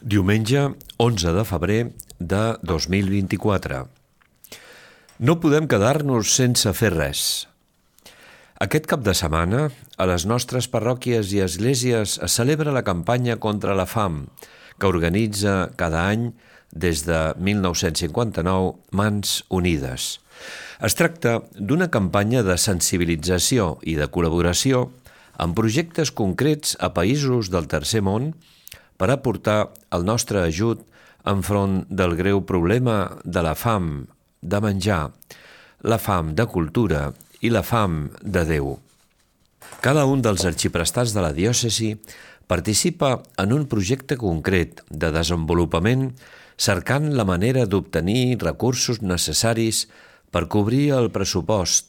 Diumenge 11 de febrer de 2024. No podem quedar-nos sense fer res. Aquest cap de setmana, a les nostres parròquies i esglésies es celebra la campanya contra la fam, que organitza cada any des de 1959 Mans Unides. Es tracta d'una campanya de sensibilització i de col·laboració amb projectes concrets a països del tercer món per aportar el nostre ajut enfront del greu problema de la fam de menjar, la fam de cultura i la fam de Déu. Cada un dels arxiprestats de la diòcesi participa en un projecte concret de desenvolupament cercant la manera d'obtenir recursos necessaris per cobrir el pressupost.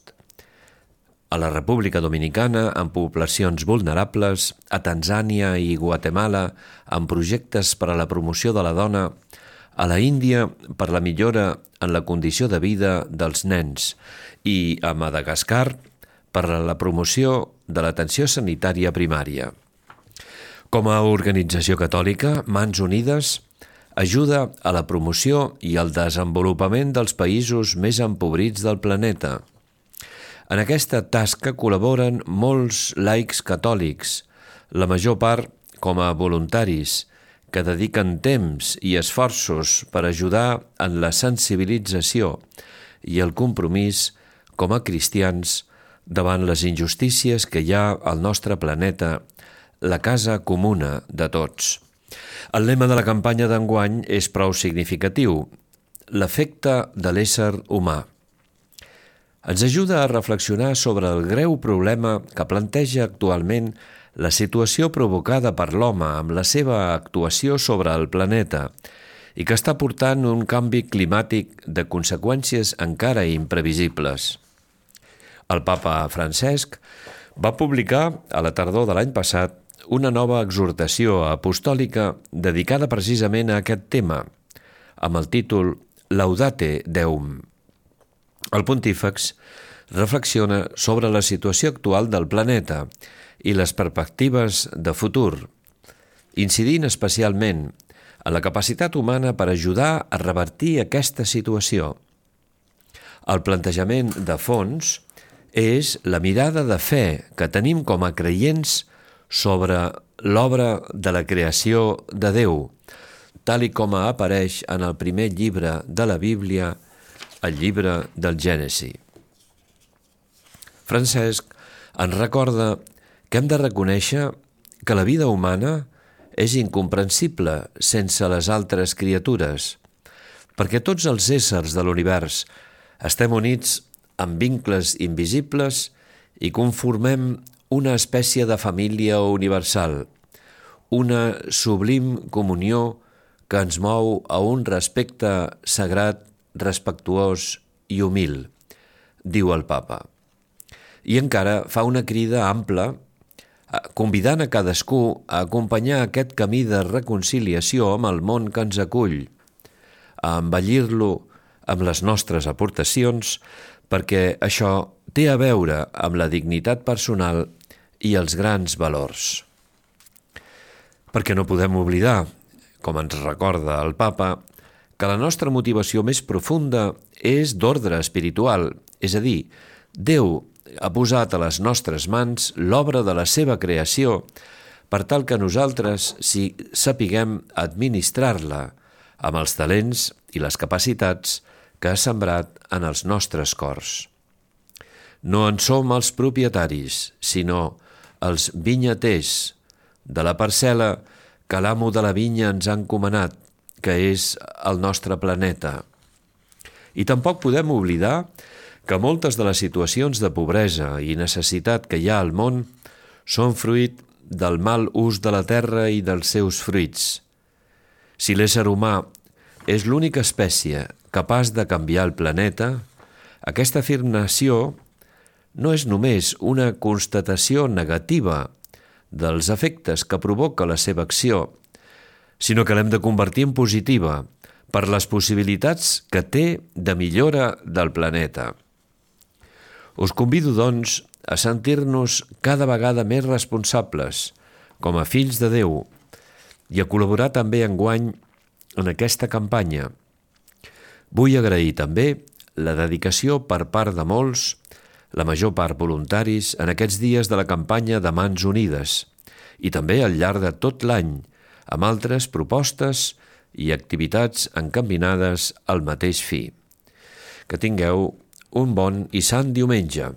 A la República Dominicana, amb poblacions vulnerables, a Tanzània i Guatemala, amb projectes per a la promoció de la dona, a la Índia per la millora en la condició de vida dels nens i a Madagascar per a la promoció de l'atenció sanitària primària. Com a organització catòlica, Mans Unides ajuda a la promoció i al desenvolupament dels països més empobrits del planeta. En aquesta tasca col·laboren molts laics catòlics, la major part com a voluntaris, que dediquen temps i esforços per ajudar en la sensibilització i el compromís com a cristians davant les injustícies que hi ha al nostre planeta, la casa comuna de tots. El lema de la campanya d'enguany és prou significatiu: l'efecte de l'ésser humà. Ens ajuda a reflexionar sobre el greu problema que planteja actualment la situació provocada per l'home amb la seva actuació sobre el planeta i que està portant un canvi climàtic de conseqüències encara imprevisibles. El papa Francesc va publicar a la tardor de l'any passat una nova exhortació apostòlica dedicada precisament a aquest tema, amb el títol Laudate Deum. El pontífex reflexiona sobre la situació actual del planeta i les perspectives de futur, incidint especialment en la capacitat humana per ajudar a revertir aquesta situació. El plantejament de fons és la mirada de fe que tenim com a creients sobre l'obra de la creació de Déu, tal i com apareix en el primer llibre de la Bíblia, el llibre del Gènesi. Francesc ens recorda que hem de reconèixer que la vida humana és incomprensible sense les altres criatures, perquè tots els éssers de l'univers estem units amb vincles invisibles i conformem una espècie de família universal, una sublim comunió que ens mou a un respecte sagrat, respectuós i humil, diu el papa. I encara fa una crida ampla, convidant a cadascú a acompanyar aquest camí de reconciliació amb el món que ens acull, a embellir-lo amb les nostres aportacions, perquè això té a veure amb la dignitat personal i els grans valors. Perquè no podem oblidar, com ens recorda el papa, que la nostra motivació més profunda és d'ordre espiritual, és a dir, Déu ha posat a les nostres mans l'obra de la seva creació per tal que nosaltres sapiguem administrar-la amb els talents i les capacitats que ha sembrat en els nostres cors. No en som els propietaris, sinó els vinyaters de la parcel·la que l'amo de la vinya ens ha encomanat, que és el nostre planeta. I tampoc podem oblidar que moltes de les situacions de pobresa i necessitat que hi ha al món són fruit del mal ús de la terra i dels seus fruits. Si l'ésser humà és l'única espècie capaç de canviar el planeta, aquesta afirmació no és només una constatació negativa dels efectes que provoca la seva acció, sinó que l'hem de convertir en positiva per les possibilitats que té de millora del planeta. Us convido, doncs, a sentir-nos cada vegada més responsables, com a fills de Déu, i a col·laborar també enguany en aquesta campanya. Vull agrair també la dedicació per part de molts, la major part voluntaris, en aquests dies de la campanya de Mans Unides i també al llarg de tot l'any, amb altres propostes i activitats encaminades al mateix fi. Que tingueu un bon i sant diumenge.